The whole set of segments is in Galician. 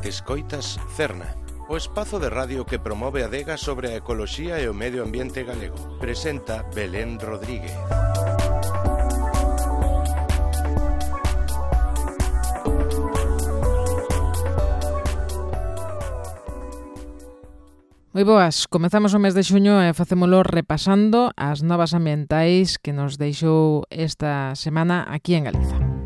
Escoitas Cerna, o espazo de radio que promove a adega sobre a ecoloxía e o medio ambiente galego. Presenta Belén Rodríguez. Moi boas, comezamos o mes de xuño e facémolo repasando as novas ambientais que nos deixou esta semana aquí en Galiza.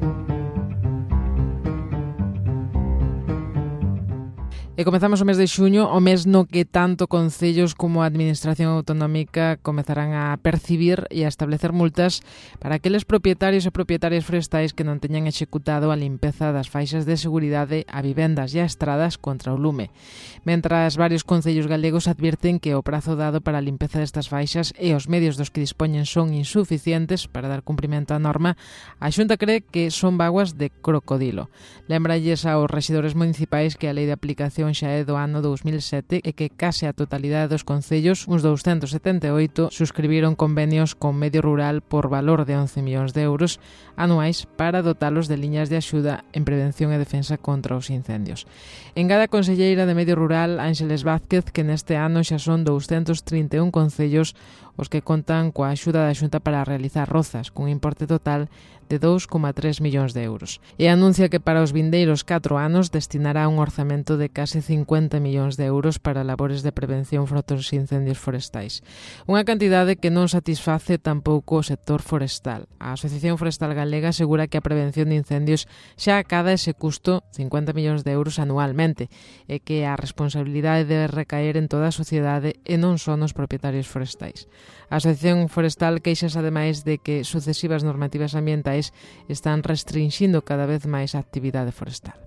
E comezamos o mes de xuño, o mes no que tanto concellos como a Administración Autonómica comezarán a percibir e a establecer multas para aqueles propietarios e propietarias forestais que non teñan executado a limpeza das faixas de seguridade a vivendas e a estradas contra o lume. Mentras varios concellos galegos advirten que o prazo dado para a limpeza destas faixas e os medios dos que dispoñen son insuficientes para dar cumprimento á norma, a Xunta cree que son vaguas de crocodilo. Lembralles aos rexidores municipais que a lei de aplicación xa é do ano 2007 e que case a totalidade dos concellos, uns 278, suscribiron convenios con Medio Rural por valor de 11 millóns de euros anuais para dotalos de liñas de axuda en prevención e defensa contra os incendios. Engada a conselleira de Medio Rural, Ángeles Vázquez, que neste ano xa son 231 concellos os que contan coa axuda da Xunta para realizar rozas, cun importe total de 2,3 millóns de euros. E anuncia que para os vindeiros 4 anos destinará un orzamento de case 50 millóns de euros para labores de prevención fronte aos incendios forestais. Unha cantidade que non satisface tampouco o sector forestal. A Asociación Forestal Galega asegura que a prevención de incendios xa acada ese custo 50 millóns de euros anualmente e que a responsabilidade debe recaer en toda a sociedade e non só nos propietarios forestais. A Asociación Forestal queixas ademais de que sucesivas normativas ambientais están restringindo cada vez máis a actividade forestal.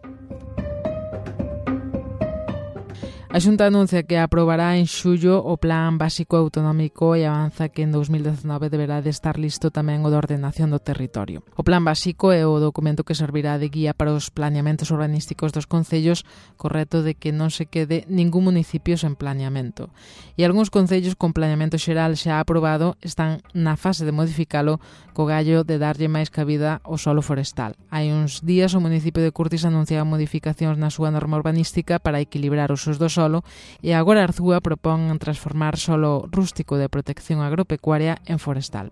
A Xunta anuncia que aprobará en xullo o Plan Básico Autonómico e avanza que en 2019 deberá de estar listo tamén o de ordenación do territorio. O Plan Básico é o documento que servirá de guía para os planeamentos urbanísticos dos concellos, co reto de que non se quede ningún municipio sen planeamento. E algúns concellos con planeamento xeral xa aprobado están na fase de modificalo co gallo de darlle máis cabida ao solo forestal. Hai uns días o municipio de Curtis anunciaba modificacións na súa norma urbanística para equilibrar os usos do solo e agora Arzúa propón transformar solo rústico de protección agropecuaria en forestal.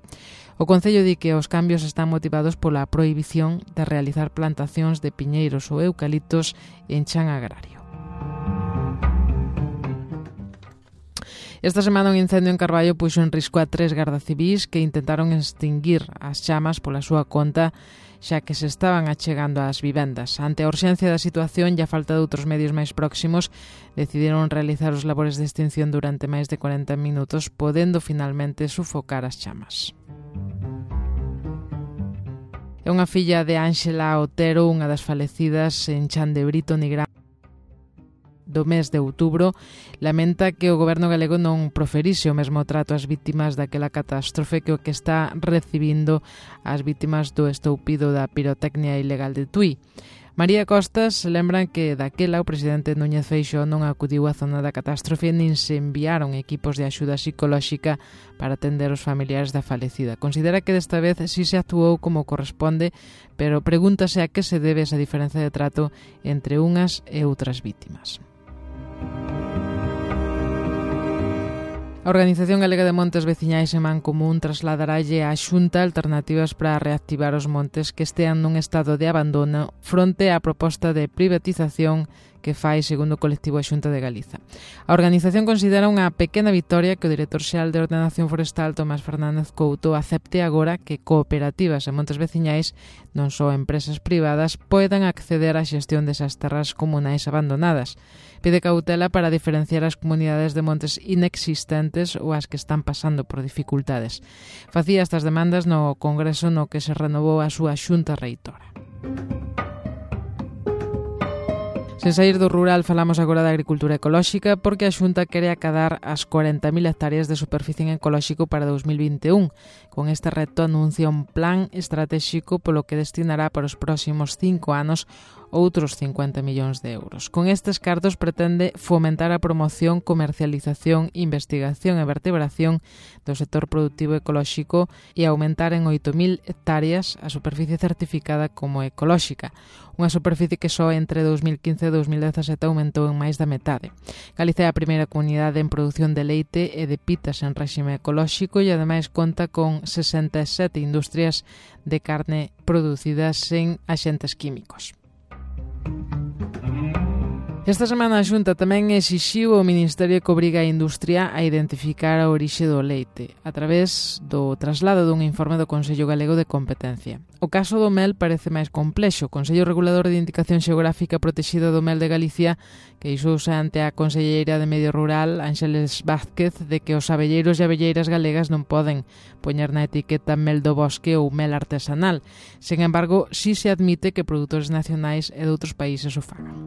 O Concello di que os cambios están motivados pola prohibición de realizar plantacións de piñeiros ou eucaliptos en chan agrario. Esta semana un incendio en Carballo puxo en risco a 3 gardacivís que intentaron extinguir as chamas pola súa conta xa que se estaban achegando ás vivendas. Ante a urxencia da situación e a falta de outros medios máis próximos, decidiron realizar os labores de extinción durante máis de 40 minutos, podendo finalmente sufocar as chamas. É unha filla de Ángela Otero, unha das falecidas en Chan de Brito, Nigrán, do mes de outubro, lamenta que o goberno galego non proferise o mesmo trato ás vítimas daquela catástrofe que o que está recibindo as vítimas do estoupido da pirotecnia ilegal de Tui. María Costas lembran que daquela o presidente Núñez Feixóo non acudiu á zona da catástrofe nin se enviaron equipos de axuda psicolóxica para atender os familiares da falecida. Considera que desta vez si se actuou como corresponde, pero pregúntase a que se debe esa diferencia de trato entre unhas e outras vítimas. A Organización Galega de Montes Veciñais e Mancomún trasladaralle á Xunta alternativas para reactivar os montes que estean nun estado de abandono fronte á proposta de privatización que fai segundo o colectivo a Xunta de Galiza. A organización considera unha pequena vitoria que o director xeral de Ordenación Forestal, Tomás Fernández Couto, acepte agora que cooperativas e montes veciñais, non só empresas privadas, poidan acceder á xestión desas terras comunais abandonadas. Pide cautela para diferenciar as comunidades de montes inexistentes ou as que están pasando por dificultades. Facía estas demandas no Congreso no que se renovou a súa Xunta Reitora. Sen sair do rural, falamos agora da agricultura ecolóxica porque a Xunta quere acadar as 40.000 hectáreas de superficie en ecolóxico para 2021. Con este reto anuncia un plan estratégico polo que destinará para os próximos 5 anos outros 50 millóns de euros. Con estes cartos pretende fomentar a promoción, comercialización, investigación e vertebración do sector productivo ecolóxico e aumentar en 8.000 hectáreas a superficie certificada como ecolóxica, unha superficie que só entre 2015 e 2017 aumentou en máis da metade. Galicia é a primeira comunidade en produción de leite e de pitas en réxime ecolóxico e ademais conta con 67 industrias de carne producidas sen axentes químicos. Esta semana a Xunta tamén exixiu ao Ministerio que obriga a industria a identificar a orixe do leite a través do traslado dun informe do Consello Galego de Competencia. O caso do mel parece máis complexo. O Consello Regulador de Indicación Xeográfica Protexida do Mel de Galicia queixouse ante a Conselleira de Medio Rural, Ángeles Vázquez, de que os abelleiros e abelleiras galegas non poden poñer na etiqueta mel do bosque ou mel artesanal. Sen embargo, si se admite que produtores nacionais e de outros países o fagan.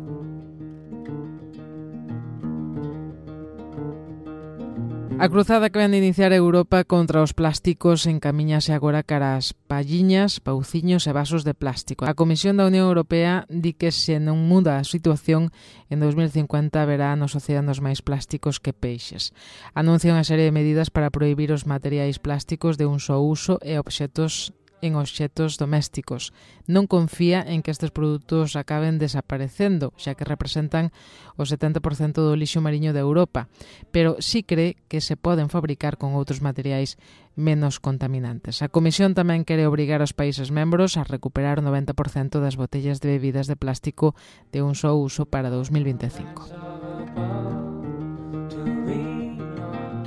A cruzada que ven de iniciar Europa contra os plásticos encamiñase agora cara ás palliñas, pauciños e vasos de plástico. A Comisión da Unión Europea di que se non muda a situación, en 2050 haberá nos océanos máis plásticos que peixes. Anuncia unha serie de medidas para prohibir os materiais plásticos de un só uso e obxetos domésticos. Non confía en que estes produtos acaben desaparecendo, xa que representan o 70% do lixo mariño de Europa, pero sí cree que se poden fabricar con outros materiais menos contaminantes. A Comisión tamén quere obrigar aos países membros a recuperar o 90% das botellas de bebidas de plástico de un só uso para 2025.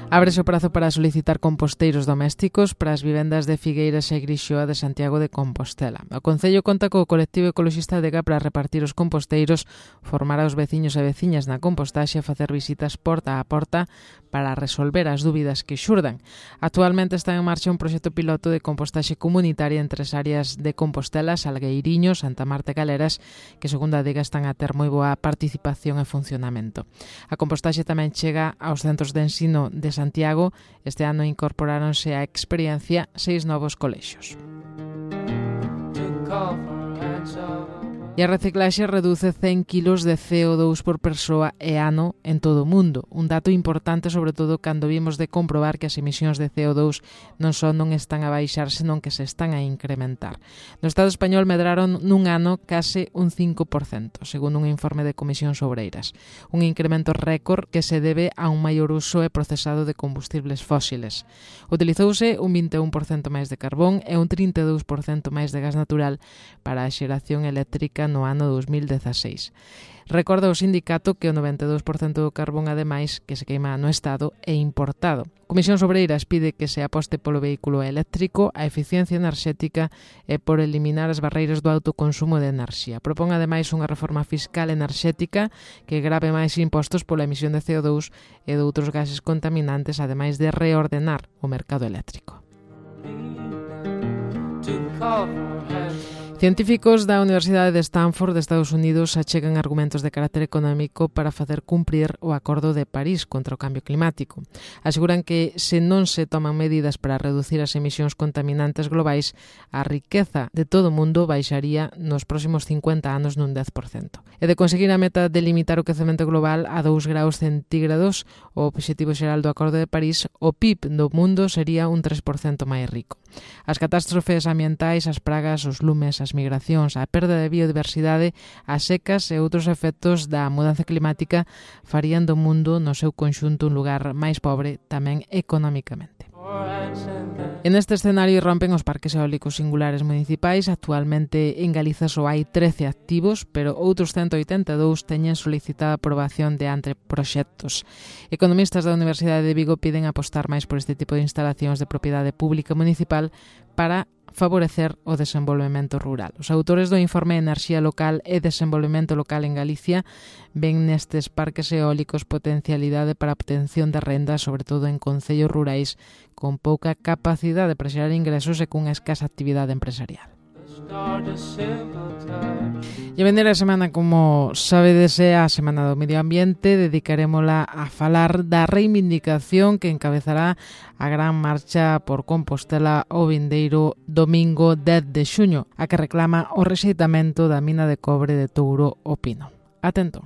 Ábrese o prazo para solicitar composteiros domésticos para as vivendas de Figueiras e Grixoa de Santiago de Compostela. O Concello conta co colectivo ecologista Adega para repartir os composteiros, formar aos veciños e veciñas na compostaxe e facer visitas porta a porta para resolver as dúbidas que xurdan. Actualmente está en marcha un proxecto piloto de compostaxe comunitaria en 3 áreas de Compostela, Salgueiriño, Santa Marta e Galeras, que segundo a Adega están a ter moi boa participación e funcionamento. A compostaxe tamén chega aos centros de ensino de Santiago. Este ano incorporáronse á experiencia 6 novos colexios. E a reciclaxe reduce 100 kilos de CO2 por persoa e ano en todo o mundo. Un dato importante, sobre todo, cando vimos de comprobar que as emisións de CO2 non só non están a baixar, senón que se están a incrementar. No Estado español medraron nun ano case un 5%, segundo un informe de Comisións Obreiras. Un incremento récord que se debe a un maior uso e procesado de combustibles fósiles. Utilizouse un 21% máis de carbón e un 32% máis de gas natural para a xeración eléctrica no ano 2016. Recorda o sindicato que o 92% do carbón, ademais, que se queima no Estado, é importado. Comisións Obreiras pide que se aposte polo vehículo eléctrico, a eficiencia enerxética e por eliminar as barreiras do autoconsumo de enerxía. Propón, ademais, unha reforma fiscal enerxética que grave máis impostos pola emisión de CO2 e de outros gases contaminantes, ademais de reordenar o mercado eléctrico. Científicos da Universidade de Stanford de Estados Unidos achegan argumentos de carácter económico para facer cumprir o Acordo de París contra o cambio climático. Aseguran que se non se toman medidas para reducir as emisións contaminantes globais, a riqueza de todo o mundo baixaría nos próximos 50 anos nun 10%. E de conseguir a meta de limitar o quecemento global a 2 graus centígrados, o obxectivo xeral do Acordo de París, o PIB do mundo sería un 3% máis rico. As catástrofes ambientais, as pragas, os lumes, as migracións, a perda de biodiversidade, as secas e outros efectos da mudanza climática farían do mundo no seu conxunto un lugar máis pobre tamén económicamente. En este escenario rompen os parques eólicos singulares municipais. Actualmente en Galiza só hai 13 activos, pero outros 182 teñen solicitada a aprobación de anteproxectos. Economistas da Universidade de Vigo piden apostar máis por este tipo de instalacións de propiedade pública municipal para favorecer o desenvolvemento rural. Os autores do informe Enerxía Local e Desenvolvemento Local en Galicia ven nestes parques eólicos potencialidade para a obtención de rendas, sobre todo en concellos rurais con pouca capacidade para xerar ingresos e cunha escasa actividade empresarial. E E a vendeira semana, como sabedes, é a Semana do Medio Ambiente. Dedicarémola a falar da reivindicación que encabezará a gran marcha por Compostela o vindeiro domingo 10 de xuño, a que reclama o rexeitamento da mina de cobre de Touro o Pino. Atento.